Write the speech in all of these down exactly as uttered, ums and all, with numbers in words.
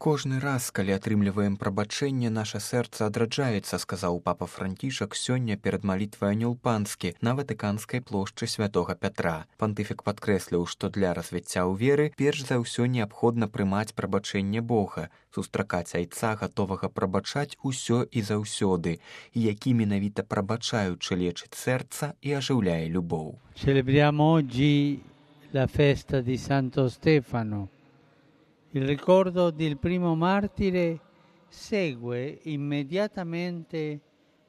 Кожны раз, калі атрымліваем прабачэнне, наша сэрца адраджаецца, сказаў папа Францішак сёння перад малітвай Анёл Панскі на Ватыканскай плошчы святога Пятра. Пантыфік падкрэсліў, што для развіцця ў веры перш за ўсё неабходна прымаць прабачэнне Бога, сустракаць айца, гатовага прабачаць усё і заўсёды, і які менавіта прабачаючы лечыць сэрца і ажыўляе любоў. Celebriamo oggi la festa di Santo Stefano. Il ricordo del primo martire segue immediatamente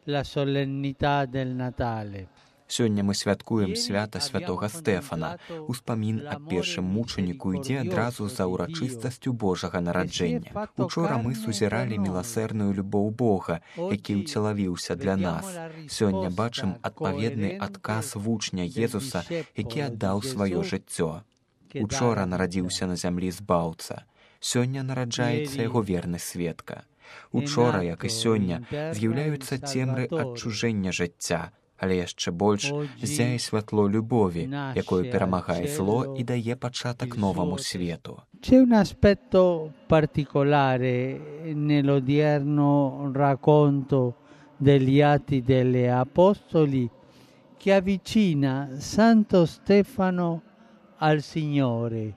la solennità del Natale. Сёння мы святкуем свята святога Стэфана. Успамін аб першым мучаніку ідзе адразу за ўрачыстасцю Божага нараджэння. Учора мы сузіралі міласэрную любоў Бога, які ўцелавіўся для нас. Сёння бачым адпаведны адказ вучня Езуса, які аддаў сваё жыццё. Учора нарадзіўся на зямлі збаўца. Сёння нараджаецца яго верны сведка. Учора, як і сёння, з'яўляюцца цемры адчужэння жыцця, але яшчэ больш ззяе святло любові, якое перамагае зло і дае пачатак новаму свету. C'è un aspetto particolare nell'odierno racconto degli Atti degli Apostoli che avvicina Santo Stefano al Signore.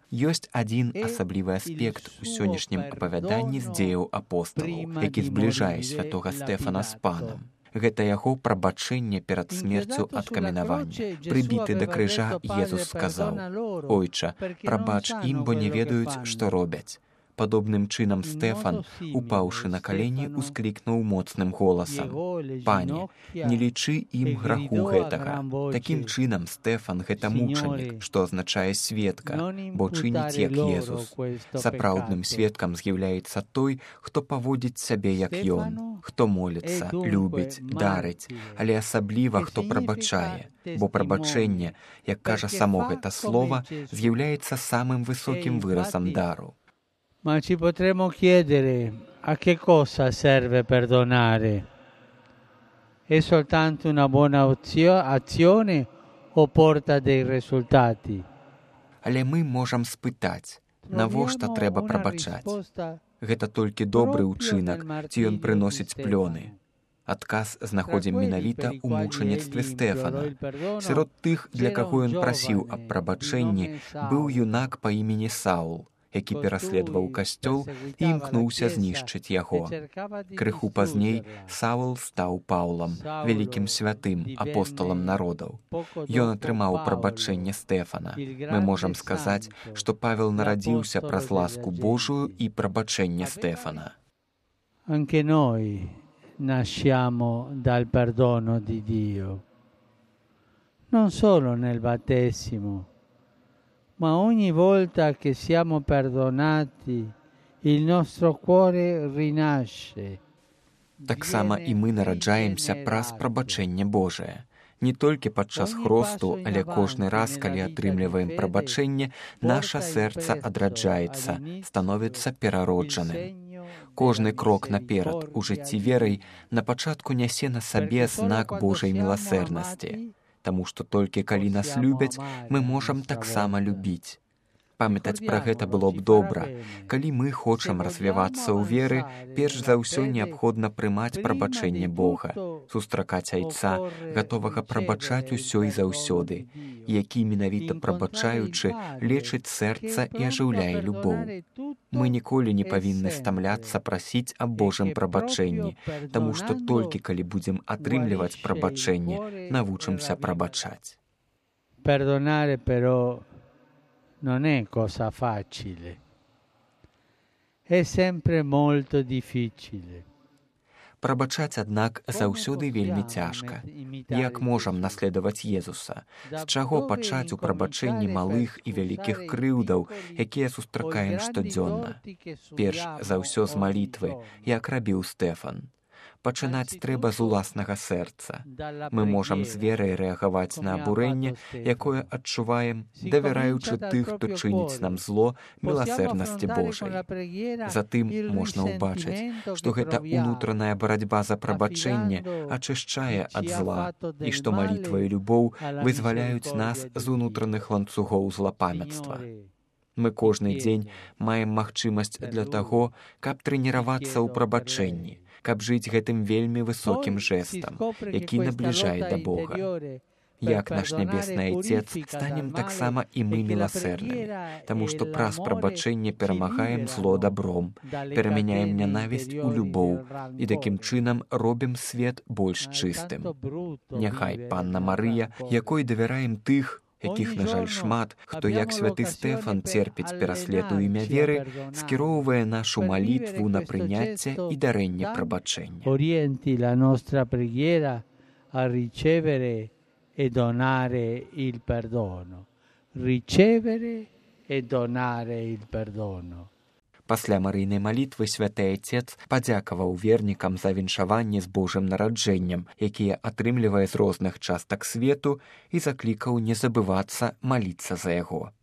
Ёсць адзін асаблівы аспект у сённяшнім апавяданні з дзеяў апосталаў, які збліжае святога Стэфана з панам. Гэта яго прабачэнне перад смерцю ад каменавання. Прыбіты да крыжа, Езус сказаў: «Ойча, прабач ім, бо не ведаюць, што робяць». Падобным чынам Стэфан, упаўшы на калені, усклікнуў моцным голасам: «Пане, не лічы ім граху гэтага». Такім чынам Стэфан — гэта мучанік, што азначае сведка, бо чыніць як Езус. Сапраўдным сведкам з'яўляецца той, хто паводзіць сябе як ён, хто моліцца, любіць, дарыць, але асабліва хто прабачае, бо прабачэнне, як кажа само гэта слова, з'яўляецца самым высокім выразам дару. Ma ci potremmo chiedere a che cosa serve perdonare? È soltanto una buona azione o porta dei risultati? Але мы можам спытаць, навошта трэба прабачаць? Гэта толькі добры ўчынак, ці ён прыносіць плёны? Адказ знаходзім менавіта ў мучаніцтве Стэфана. Сярод тых, для каго ён прасіў аб прабачэнні, быў юнак па імені Саул, які пераследаваў касцёл і імкнуўся знішчыць яго. Крыху пазней Саул стаў Паўлам, вялікім святым, апосталам народаў. Ён атрымаў прабачэнне Стэфана. Мы можам сказаць, што Павел нарадзіўся праз ласку Божую і прабачэнне Стэфана. Anche noi nasciamo dal perdono di Dio, non solo nel battesimo, ma ogni volta che siamo perdonati, il nostro cuore rinasce. Таксама і мы нараджаемся праз прабачэнне Божае. Не толькі падчас хросту, але кожны раз, калі атрымліваем прабачэнне, наша сэрца адраджаецца, становіцца перароджаным. Кожны крок наперад у жыцці верай на пачатку нясе на сабе знак Божай міласэрнасці. Таму што толькі калі нас любяць, мы можам таксама любіць. Памятаць пра гэта было б добра. Калі мы хочам развівацца ў веры, перш за ўсё неабходна прымаць прабачэнне Бога, сустракаць айца, гатовага прабачаць усё і заўсёды, які менавіта прабачаючы лечыць сэрца і ажыўляе любоў. Мы ніколі не павінны стамляцца прасіць аб Божым прабачэнні, таму што толькі калі будзем атрымліваць прабачэнне, навучымся прабачаць. Perdonare però non è cosa facile, è sempre molto difficile. Прабачаць, аднак, заўсёды вельмі цяжка. Як можам наследаваць Езуса? З чаго пачаць у прабачэнні малых і вялікіх крыўдаў, якія сустракаем штодзённа? Перш за ўсё з малітвы, як рабіў Стэфан. Пачынаць трэба з уласнага сэрца. Мы можам з верай рэагаваць на абурэнне, якое адчуваем, давяраючы тых, хто чыніць нам зло, міласэрнасці Божай. Затым можна ўбачыць, што гэта ўнутраная барацьба за прабачэнне ачышчае ад зла, і што малітва і любоў вызваляюць нас з унутраных ланцугоў злапамяцтва. Мы кожны дзень маем магчымасць для таго, каб трэніравацца ў прабачэнні, каб жыць гэтым вельмі высокім жэстам, які набліжае да Бога. Як наш нябесны Айцец, станем таксама і мы міласэрнымі, таму што праз прабачэнне перамагаем зло добром, перамяняем нянавісць у любоў і такім чынам робім свет больш чыстым. Няхай Панна Марыя, якой давяраем тых, якіх, на жаль, шмат, хто, як святы Стэфан, церпіць пераслед у імя веры, скіроўвае нашу малітву на прыняцце і дарэнне прабачэння. Orienti la nostra preghiera a ricevere e donare il perdono. Ricevere e donare il perdono. Пасля марыйнай малітвы святы Айцец падзякаваў вернікам за віншаванне з Божым нараджэннем, якія атрымлівае з розных частак свету, і заклікаў не забывацца маліцца за яго.